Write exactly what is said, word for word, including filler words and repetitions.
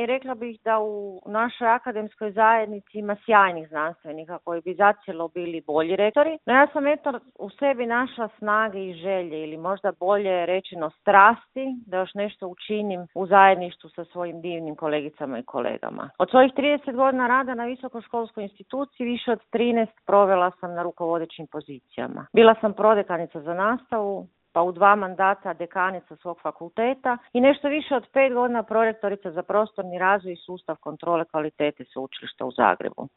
I rekla bih da u našoj akademskoj zajednici ima sjajnih znanstvenika koji bi zacijelo bili bolji rektori. No ja sam eto u sebi našla snage i želje ili možda bolje rečeno strasti da još nešto učinim u zajedništvu sa svojim divnim kolegicama i kolegama. Od svojih trideset godina rada na visokoškolskoj instituciji više od trinaest provela sam na rukovodećim pozicijama. Bila sam prodekanica za nastavu, pa u dva mandata dekanica svog fakulteta i nešto više od pet godina prorektorica za prostorni razvoj i sustav kontrole kvalitete Sveučilišta u Zagrebu.